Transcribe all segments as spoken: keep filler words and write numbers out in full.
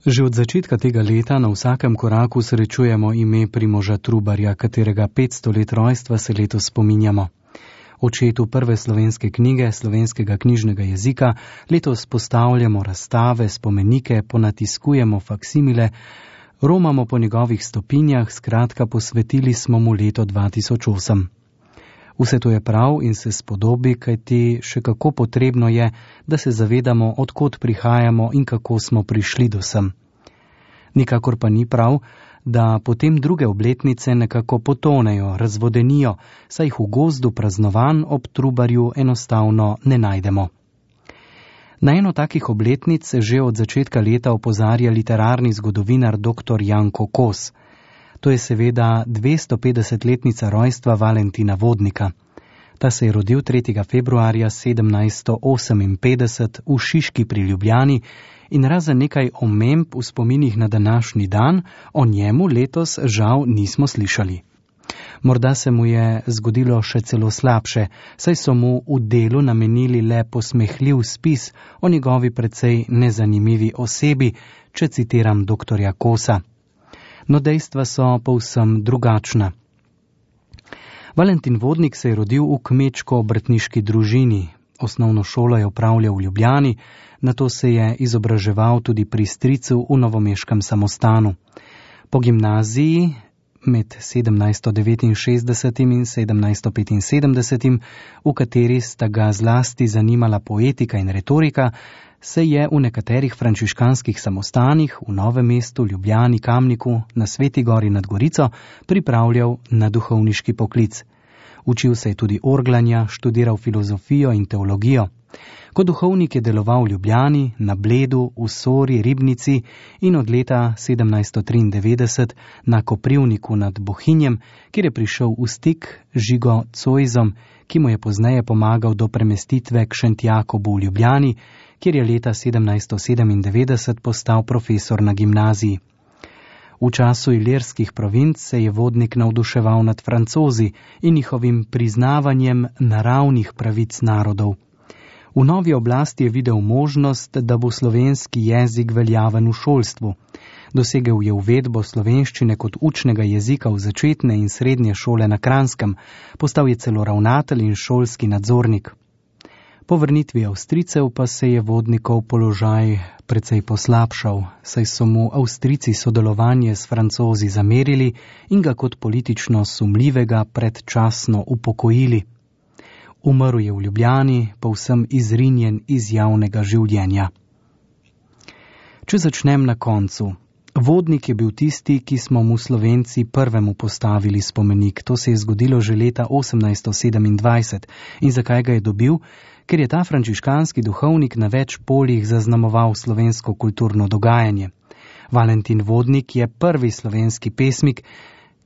Že od začetka tega leta na vsakem koraku srečujemo ime Primoža Trubarja, katerega petsto let rojstva se letos spominjamo. Očetu prve slovenske knjige, slovenskega knjižnega jezika, letos postavljamo razstave, spomenike, ponatiskujemo faksimile, romamo po njegovih stopinjah, skratka posvetili smo mu leto dva tisoč osem. Vse to je prav in se spodobi, kajti še kako potrebno je, da se zavedamo, odkot prihajamo in kako smo prišli do sem. Nikakor pa ni prav, da potem druge obletnice nekako potonejo, razvodenijo, saj jih v gozdu praznovanj ob Trubarju enostavno ne najdemo. Na eno takih obletnic se že od začetka leta opozarja literarni zgodovinar doktor Janko Kos. To je seveda dvestopetdesetletnica rojstva Valentina Vodnika. Ta se je rodil tretjega februarja sedemnajststo oseminpetdeset v Šiški pri Ljubljani in razen nekaj omemb v spominih na današnji dan, o njemu letos žal nismo slišali. Morda se mu je zgodilo še celo slabše, saj so mu v delu namenili le posmehljiv spis o njegovi precej nezanimivi osebi, če citiram doktorja Kosa. No dejstva so povsem drugačna. Valentin Vodnik se je rodil v kmečko-obrtniški družini. Osnovno šolo je opravljal v Ljubljani, nato se je izobraževal tudi pri stricu v novomeškem samostanu. Po gimnaziji med sedemnajststo devetinšestdesetim in sedemnajststo petinsedemdesetim, v kateri sta ga zlasti zanimala poetika in retorika, se je v nekaterih frančiškanskih samostanih v Novem mestu, Ljubljani, Kamniku, na Sveti gori nad Gorico pripravljal na duhovniški poklic. Učil se je tudi orglanja, študiral filozofijo in teologijo. Kot duhovnik je deloval v Ljubljani, na Bledu, v Sori, Ribnici in od leta sedemnajststo triindevetdeset na Koprivniku nad Bohinjem, kjer je prišel v stik z Žigo Zoisom, ki mu je pozneje pomagal do premestitve k Šentjakobu v Ljubljani, kjer je leta sedemnajststo sedemindevetdeset postal profesor na gimnaziji. V času ilirskih provinc se je Vodnik navduševal nad Francozi in njihovim priznavanjem naravnih pravic narodov. V novi oblasti je videl možnost, da bo slovenski jezik veljaven v šolstvu. Dosegel je uvedbo slovenščine kot učnega jezika v začetne in srednje šole na Kranjskem, postal je celo ravnatelj in šolski nadzornik. Po vrnitvi Avstrijcev pa se je Vodnikov položaj precej poslabšal, saj so mu Avstrijci sodelovanje s Francozi zamerili in ga kot politično sumljivega predčasno upokojili. Umrl je v Ljubljani, povsem izrinjen iz javnega življenja. Če začnem na koncu. Vodnik je bil tisti, ki smo mu Slovenci prvemu postavili spomenik. To se je zgodilo že leta osemnajststo sedemindvajset. In zakaj ga je dobil? Ker je ta frančiškanski duhovnik na več poljih zaznamoval slovensko kulturno dogajanje. Valentin Vodnik je prvi slovenski pesnik,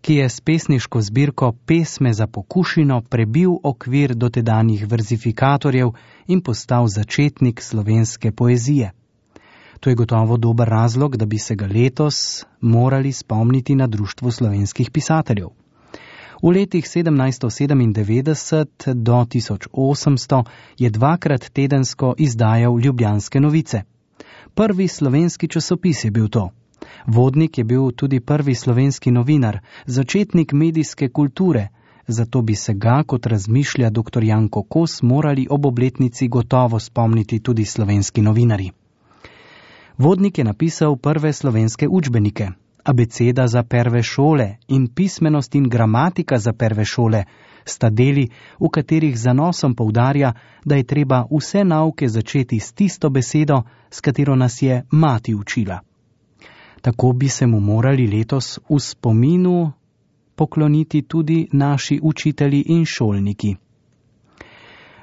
ki je s pesniško zbirko Pesme za pokušino prebil okvir dotedanjih verzifikatorjev in postal začetnik slovenske poezije. To je gotovo dober razlog, da bi se ga letos morali spomniti na Društvo slovenskih pisateljev. V letih sedemnajststo sedemindevetdeset do tisoč osemsto je dvakrat tedensko izdajal Ljubljanske novice. Prvi slovenski časopis je bil to. Vodnik je bil tudi prvi slovenski novinar, začetnik medijske kulture, zato bi se ga, kot razmišlja doktor Janko Kos, morali ob obletnici gotovo spomniti tudi slovenski novinarji. Vodnik je napisal prve slovenske učbenike, Abeceda za prve šole in Pismenost in gramatika za prve šole, sta deli, v katerih zanosom poudarja, da je treba vse nauke začeti s tisto besedo, s katero nas je mati učila. Tako bi se mu morali letos v spominu pokloniti tudi naši učitelji in šolniki.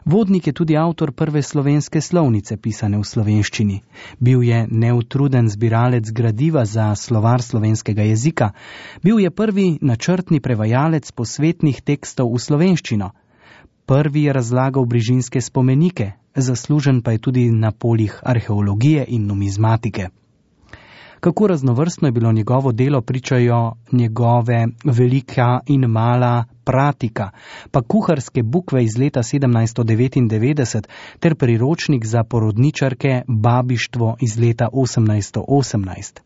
Vodnik je tudi avtor prve slovenske slovnice, pisane v slovenščini. Bil je neutruden zbiralec gradiva za slovar slovenskega jezika. Bil je prvi načrtni prevajalec posvetnih tekstov v slovenščino. Prvi je razlagal brižinske spomenike, zaslužen pa je tudi na poljih arheologije in numizmatike. Kako raznovrstno je bilo njegovo delo, pričajo njegove velika in mala pratika, pa kuharske bukve iz leta sedemnajststo devetindevetdeset ter priročnik za porodničarke Babištvo iz leta osemnajststo osemnajst.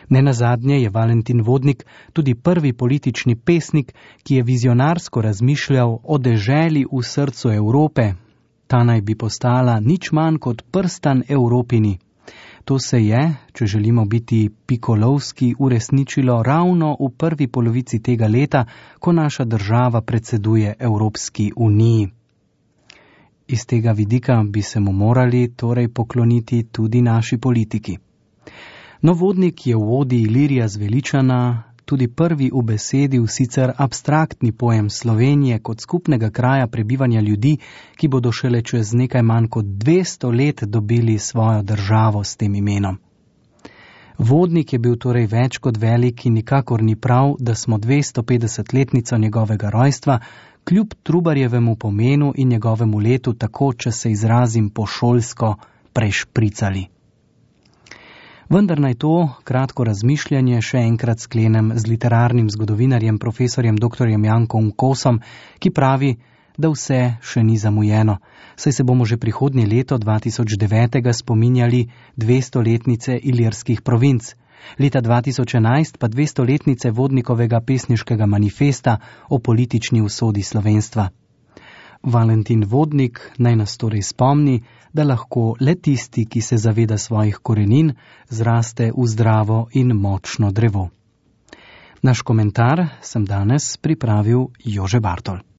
Nenazadnje je Valentin Vodnik tudi prvi politični pesnik, ki je vizionarsko razmišljal o deželi v srcu Evrope. Ta naj bi postala nič manj kot prstan Evropini. To se je, če želimo biti pikolovski, uresničilo ravno v prvi polovici tega leta, ko naša država predseduje Evropski uniji. Iz tega vidika bi se mu morali torej pokloniti tudi naši politiki. No, Vodnik je v odi Ilirija zveličana tudi prvi ubesedil sicer abstraktni pojem Slovenije kot skupnega kraja prebivanja ljudi, ki bodo šele čez nekaj manj kot dvesto let dobili svojo državo s tem imenom. Vodnik je bil torej več kot velik in nikakor ni prav, da smo dvestopetdesetletnico njegovega rojstva kljub Trubarjevemu pomenu in njegovemu letu tako, če se izrazim pošolsko, prešpricali. Vendar naj to kratko razmišljanje še enkrat sklenem z literarnim zgodovinarjem profesorjem doktorjem Jankom Kosom, ki pravi, da vse še ni zamujeno, saj se bomo že prihodnje leto dva tisoč devet spominjali dvestoletnice ilirskih provinc, leta dva tisoč enajst pa dvestoletnice Vodnikovega pesniškega manifesta o politični usodi slovenstva. Valentin Vodnik naj nas torej spomni, da lahko le tisti, ki se zaveda svojih korenin, zraste v zdravo in močno drevo. Naš komentar sem danes pripravil Jože Bartol.